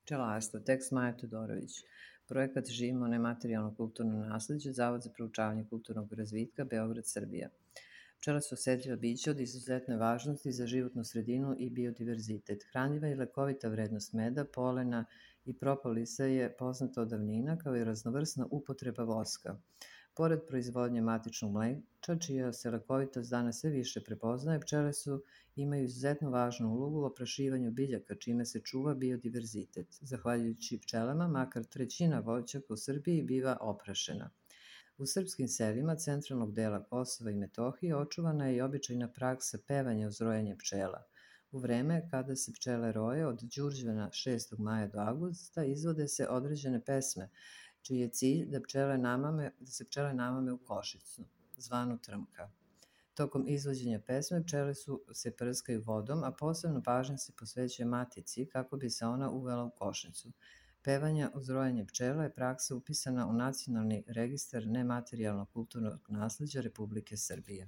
Pčelarstvo, tekst Maja Todorović. Projekat Živimo nematerijalno kulturno nasleđe, Zavod za proučavanje kulturnog razvitka, Beograd, Srbija. Pčele su osetljiva bića od izuzetne važnosti za životnu sredinu i biodiverzitet. Hranljiva i lekovita vrednost meda, polena i propolisa je poznata od davnina, kao i raznovrsna upotreba voska. Pored proizvodnje matičnog mleča, čija se lekovitost danas sve više prepoznaje, pčele imaju izuzetno važnu ulogu u oprašivanju biljaka, čime se čuva biodiverzitet. Zahvaljujući pčelama, makar trećina voćaka u Srbiji biva oprašena. U srpskim selima centralnog dela Kosova i Metohije očuvana je i običajna praksa pevanja uz rojenje pčela. U vreme kada se pčele roje od Đurđevana 6. maja do avgusta izvode se određene pesme, čiji je cilj da se pčele namame u košicu, zvanu trmka. Tokom izvođenja pesme pčele se prskaju vodom, a posebno pažnja se posvećuje matici kako bi se ona uvela u košnicu. Pevanja uz rojenje pčela je praksa upisana u Nacionalni registar nematerijalnog kulturnog nasleđa Republike Srbije.